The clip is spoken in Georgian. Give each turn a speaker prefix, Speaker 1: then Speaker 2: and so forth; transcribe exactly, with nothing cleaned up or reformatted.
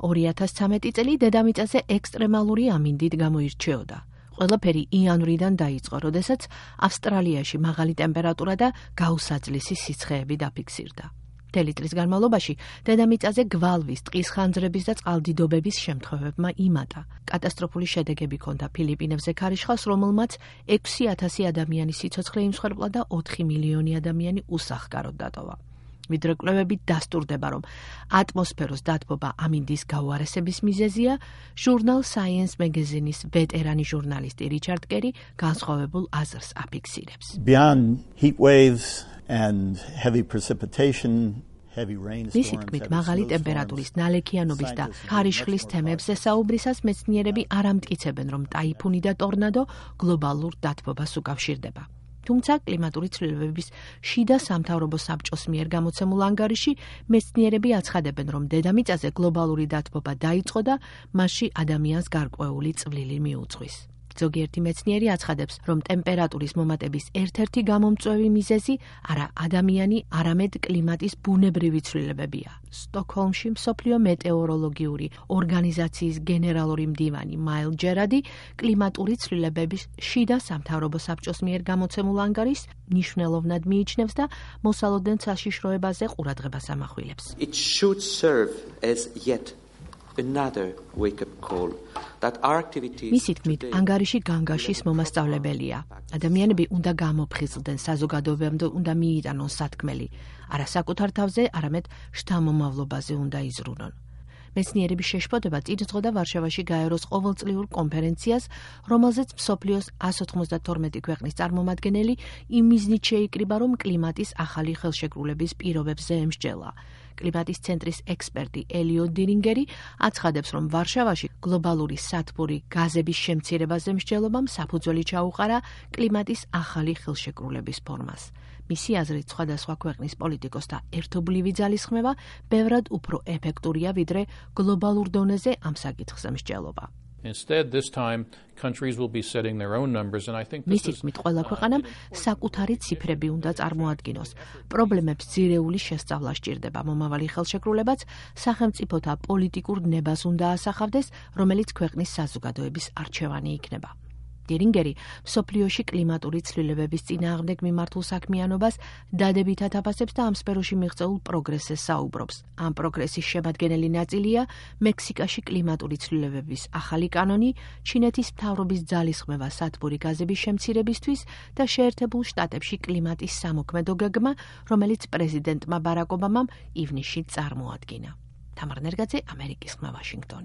Speaker 1: ორი ათას ცხრამეტი წელი დედამიწაზე ექსტრემალური ამინდით გამოირჩეოდა. ყველაფერი იანვრიდან დაიწყო, როდესაც ავსტრალიაში მაღალი ტემპერატურა და გაუსაძლისი სიცხეები დაფიქსირდა. მთელი წლის განმავლობაში დედამიწაზე გვალვის, ტყის ხანძრების და წყალდიდობების შემთხვევებმა იმატა. კატასტროფული შედეგები ჰქონდა ფილიპინებზე ქარიშხალს, რომელმაც ექვსი ათასი ადამიანის სიცოცხლე იმსხვერპლა და ოთხი მილიონი ადამიანი უსახკაროდ დატოვა. ვიდრე კვლევები დასტურდება, რომ ატმოსფეროს დათბობა ამინდის გაუარესების მიზეზია, ჟურნალ Science Magazine-ის ვეტერანი ჟურნალისტი რიჩარდ კერი განსხვავებულ აზრს აფიქსირებს.
Speaker 2: Beyond heat waves and heavy precipitation, heavy rainstorms,
Speaker 1: მისი თქმით, მაღალი ტემპერატურის, ნალექიანობის და ქარიშხლის თემებზე საუბრისას მეცნიერები არ ამტკიცებენ, რომ ტაიფუნი და ტორნადო გლობალურ დათბობას უკავშირდება. თუმცა კლიმატური ცვლილებების შიდა სამთავრობო საბჭოს მიერ გამოცემულ ანგარიში მეცნიერები აცხადებენ, რომ დედამიწაზე გლობალური დათბობა დაიწყო და მასში ადამიანს გარკვეული წვლილი მიუძღვის. ზოგიერთი მეცნიერი აცხადებს, რომ ტემპერატურის მომატების ერთ-ერთი გამომწვევი მიზეზი არა ადამიანი, არამედ კლიმატის ბუნებრივი ცვლილებებია. სტოკჰოლმში მსოფლიო მეტეოროლოგიური ორგანიზაციის გენერალური მდივანი მაილ ჯერადი კლიმატური ცვლილებების შიდა სამთავრობო საბჭოს მიერ გამოცემულ ანგარიშს მნიშვნელოვნად მიიჩნევს და მოსალოდნელ საშიშროებაზე ყურადღებას ამახვილებს.
Speaker 3: It should serve as yet another wake-up call that our activities
Speaker 1: მისი თქმით, ანგარიში განგაშის მომასწავლებელია. ადამიანები უნდა გამოფხიზლდნენ, საზოგადოებამ უნდა მიიტანონ სათქმელი. არა საკუთარ თავზე, არამედ შთამომავლობაზე უნდა იზრუნონ. მეცნიერების შეშფოთება წინსძღოდა ვარშავაში გაეროს ყოველწლიურ კონფერენციას, რომელზეც მსოფლიოს εκατს ოცდათორმეტი ქვეყნის წარმომადგენელი იმ მიზნით შეიკრიბა, რომ კლიმატის ახალი ხელშეკრულების პირობებზე ემსჯელა. კლიმატის ცენტრის ექსპერტი ელიოტ დინინგერი აცხადებს, რომ ვარშავაში გლობალური სათბური გაზების შემცირებაზე მსჯელობამ საფუძველი ჩაუყარა კლიმატის ახალი ხელშეკრულების ფორმას. მისი აზრით, სხვადასხვა ქვეყნის პოლიტიკოსთა ერთობლივი ძალისხმევა ბევრად უფრო ეფექტურია, ვიდრე გლობალურ დონეზე ამ საკითხზე მსჯელობა.
Speaker 4: Instead, this time, countries will be setting their own numbers, and I think this
Speaker 1: მისი
Speaker 4: is...
Speaker 1: თქმით, ყველა ქვეყანამ საკუთარი ციფრები უნდა წარმოადგინოს. პრობლემებს ძირეული შესწავლა სჭირდება. მომავალი ხელშეკრულებაც სახელმწიფოთა პოლიტიკურ ნებას უნდა ასახავდეს, რომელიც ქვეყნის საზოგადოების არჩევანი იქნება. დინინგერი მსოფლიოში კლიმატური ცვლილებების წინააღმდეგ მიმართულ საქმიანობას დადებითად აფასებს და ამ სფეროში მიღწეულ პროგრესზე საუბრობს. ამ პროგრესის შემადგენელი ნაწილია მექსიკაში კლიმატური ცვლილებების ახალი კანონი, ჩინეთის მთავრობის ძალისხმევა სათბური გაზების შემცირებისთვის და შეერთებულ შტატებში კლიმატის სამოქმედო გეგმა, რომელიც პრეზიდენტმა ბარაკ ობამამ ივნისში წარმოადგინა. თამარ ნერგაძე, ამერიკის ხმა, ვაშინგტონი.